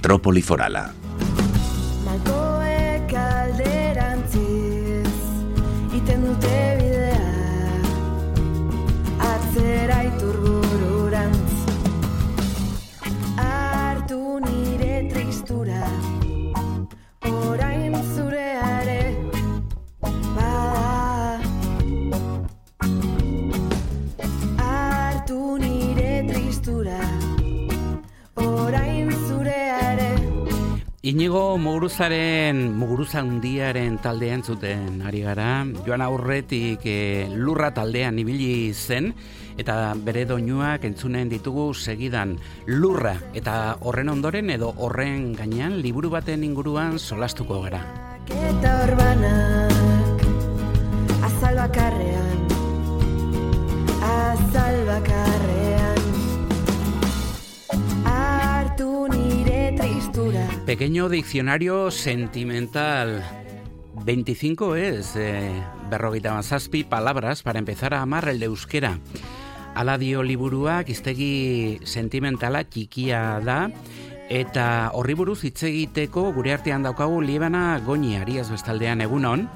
Metrópoli Forala. Malkoek alderantziz iten dute bidea atzera iturbururantz hartu nire tristura orain zureare bada hartu nire tristura orain zureare. Inigo Muguruza Hundiaren taldean zuten ari gara. Joan aurretik Lurra taldean ibili zen, eta bere doinuak entzunen ditugu segidan. Lurra, eta horren ondoren edo horren gainean liburu baten inguruan solastuko gara. Eta orbanak azal bakarrean hartu nire tristura. Pequeño diccionario sentimental. 25 es 57 palabras para empezar a amar el euskera. Hala dio liburuak, hiztegi sentimentala txikia da, eta horri buruz hitz egiteko gure artean daukagu Liebana Goñi Arias bestaldean. Egunon.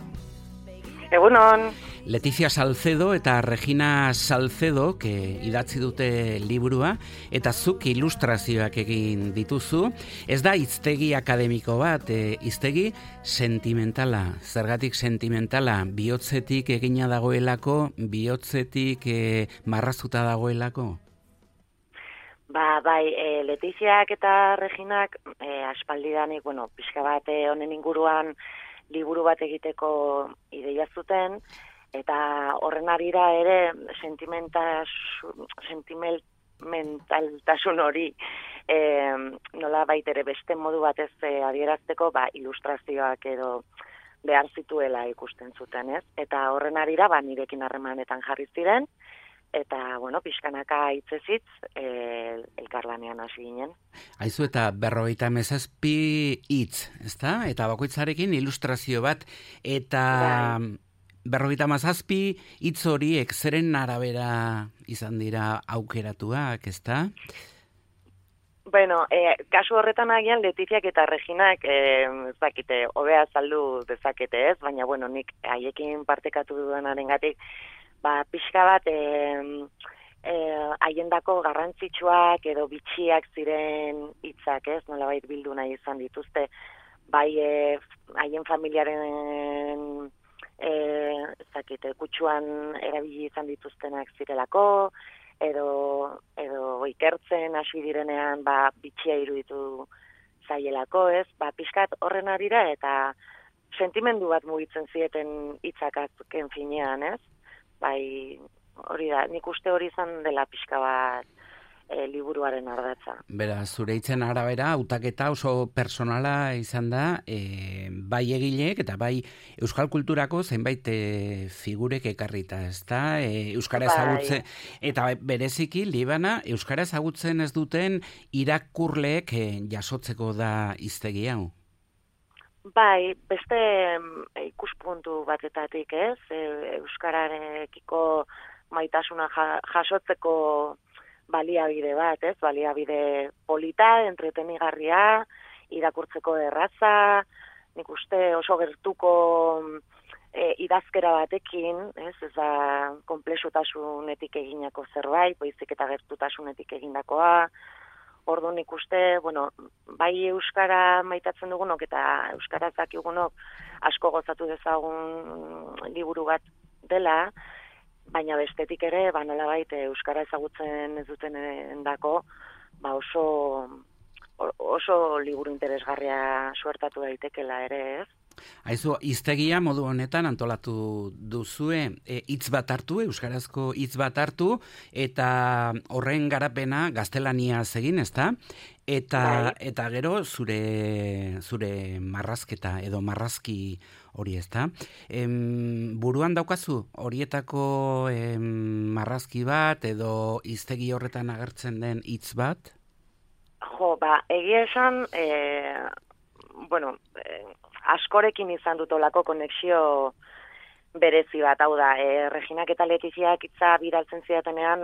Egunon. Letizia Salcedo eta Regina Salcedo, idatzi dute liburua, eta zuk ilustrazioak egin dituzu. Ez da hiztegi akademiko bat, hiztegi sentimentala. Zergatik sentimentala? Bihotzetik egina dagoelako, bihotzetik marraztuta dagoelako? Bai, Letiziak eta Reginak aspaldidanik, pixka bat honen inguruan liburu bat egiteko ideia zuten, eta horren arira ere sentimentaltasun hori nola baitere beste modu batez adierazteko ilustrazioak edo behar zituela ikusten zuten, ez? Eta horren arira nirekin harremanetan jarri ziren, eta, pixkanaka hitzez elkarlanean hasi ginen. Aizu, eta 57 hitz, ezta? Eta bakoitzarekin ilustrazio bat, eta 57 hitz horiek zeren arabera izan dira aukeratuak, ezta? Kasu horretan agian Letiziak eta Reginak ezakite, hobea azaldu dezakete, ez? Baina, nik haiekin partekatu duenarengatik pixka bat haiendako garrantzitsuak edo bitxiak ziren hitzak, ez? Nolabait bildu nahi izan dituzte, bai haien familiaren kutsuan erabili izan dituztenak zirelako, edo ikertzen hasi direnean bitxia iruditu zaielako, ez? Pixkat horren arira eta sentimendu bat mugitzen zieten hitzak azken finean, ez? Hori da, nik uste hori izan dela pixka bat liburuaren ardatza. Beraz, zure hitzen arabera, hautaketa oso personala izan da, bai egileek eta bai euskal kulturako zenbait figurek ekarrita, ezta? Euskara ezagutzen, eta bereziki, Liebana, euskara ezagutzen ez duten irakurleek jasotzeko da hiztegi hau. Bai, beste ikuspuntu batetatik, ez? Euskararekiko maitasuna jasotzeko baliabide bat, ez? Baliabide polita, entretenigarria, irakurtzeko erraza, nik uste oso gertuko idazkera batekin, ez? Ez da konplexutasunetik eginako zerbait, baizik eta gertutasunetik egindakoa. Orduan ikuste, bai euskara maitatzen dugunok eta euskara zakigunok asko gozatu dezagun liburu bat dela, baina bestetik ere, nolabait euskara ezagutzen ez duten endako, oso liburu interesgarria suertatu daitekela ere, ez? Aizu, hiztegia modu honetan antolatu duzue, hitz bat hartu, euskarazko hitz bat hartu, eta horren garapena gaztelaniaz egin, ezta? Eta gero zure marrazketa edo marrazki hori, ezta? Buruan daukazu horietako marrazki bat edo hiztegi horretan agertzen den hitz bat? Egia esan, askorekin izan dut olako konexio berezi bat, hau da, Reginak eta Letiziak hitza bidaltzen zidatenean,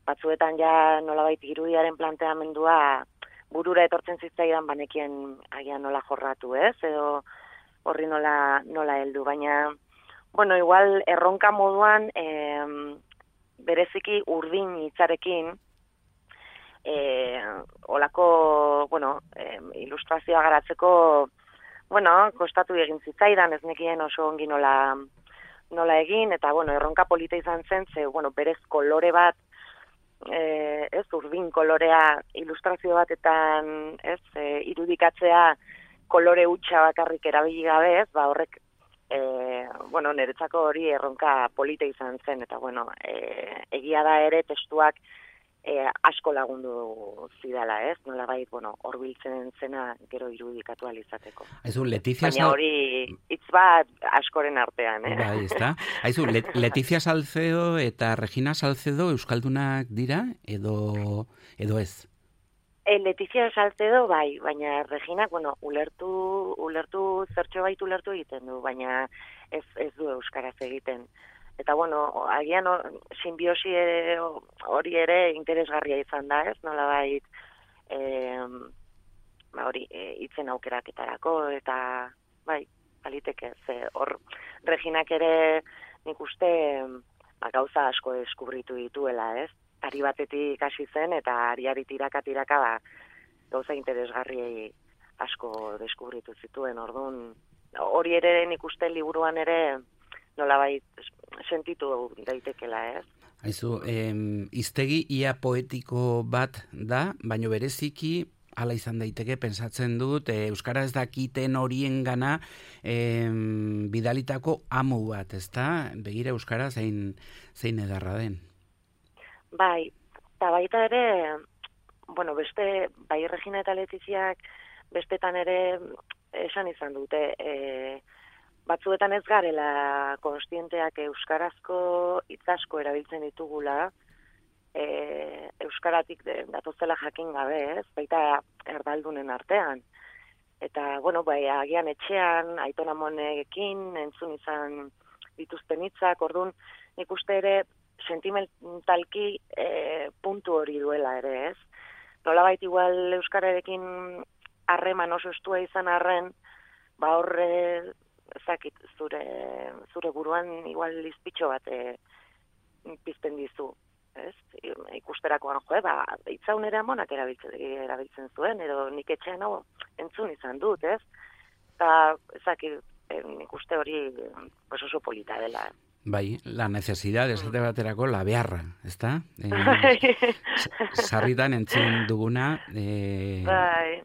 batzuetan ja nolabait irudiaren planteamendua burura etortzen zitzaidan banekien agian nola jorratu, ez? Edo horri nola heldu, baina bueno, igual erronka moduan bereziki urdin hitzarekin olako, bueno, ilustrazioa garatzeko, bueno, kostatu egin zitzaidan, ez nekien oso ongi nola egin, eta, bueno, erronka polita izan zen, ze, bueno, berez kolore bat, ez, urdin kolorea ilustrazio batetan, ez, irudikatzea kolore hutsa bakarrik erabili gabe, ez, ba, horrek, bueno, niretzako hori erronka polita izan zen, eta, bueno, egia da ere testuak asko lagundu zidala, ez? Nolabait, bueno, horbiltzen zena gero irudikatu alizateko. Aizu, Letizia baina hori hitz bat askoren artean, Bai, ezta? Aizu, Letizia Salcedo eta Regina Salcedo euskaldunak dira edo ez? Letizia Salcedo bai, baina Regina, bueno, ulertu zertxo bait ulertu egiten du, baina ez du euskaraz egiten. Eta, bueno, agian simbiosi hori ere interesgarria izan da, ez? Nolabait, hori, hitzen aukeraketarako, eta, bai, baliteke, ze hor, Reginak ere nik uste gauza asko deskubritu dituela, ez? Ari batetik hasi zen, eta ariari tiraka, gauza interesgarriei asko deskubritu zituen, orduan, hori ere nik uste liburuan ere, nolabait sentitu daitekela, ez? Aizu, hiztegi ia poetiko bat da, baino bereziki hala izan daiteke, pentsatzen dut, euskara ez dakiten horiengana bidalitako amu bat, ezta? Begira euskara zein edarra den. Bai, eta baita ere, bueno, beste, bai Regina eta Letiziak bestetan ere esan izan dute, batzuetan ez garela konstienteak euskarazko hitz asko erabiltzen ditugula, euskaratik datozela jakin gabe, ez? Baita erdaldunen artean. Eta, bueno, bai, agian etxean, Aiton Amonekin entzun izan dituzten hitzak, orduan nik uste ere sentimentalki puntu hori duela ere, ez? Nolabait igual euskararekin harreman oso estua izan arren, ba horre ezakit, zure buruan igual izpitxo bat pizten dizu, ez? Ikusterakoan ba, hitzaun ere amonak erabiltzen zuen, edo nik etxean hau entzun izan dut, ez? Eta ezakit, nik uste hori oso polita dela. Bai, la necesidad, esate baterako, la beharra, ezta? Sarritan entzun duguna, bai.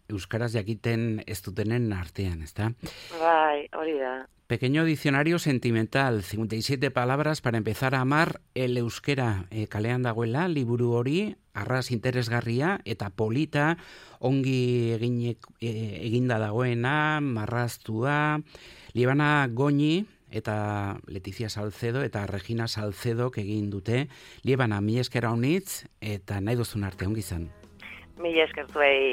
Euskaraz jakiten ez dutenen artean, ezta? Bai, hori da. Pequeño diccionario sentimental, 57 palabras para empezar a amar el euskera, kalean dagoela, liburu hori, arras interesgarria eta polita, ongi eginda dagoena, marraztua, Liebana Goñi eta Letizia Salcedo eta Regina Salcedo egin dute. Liebana, mila esker honitz eta nahi duzun arte ongi izan. Mila esker zuei.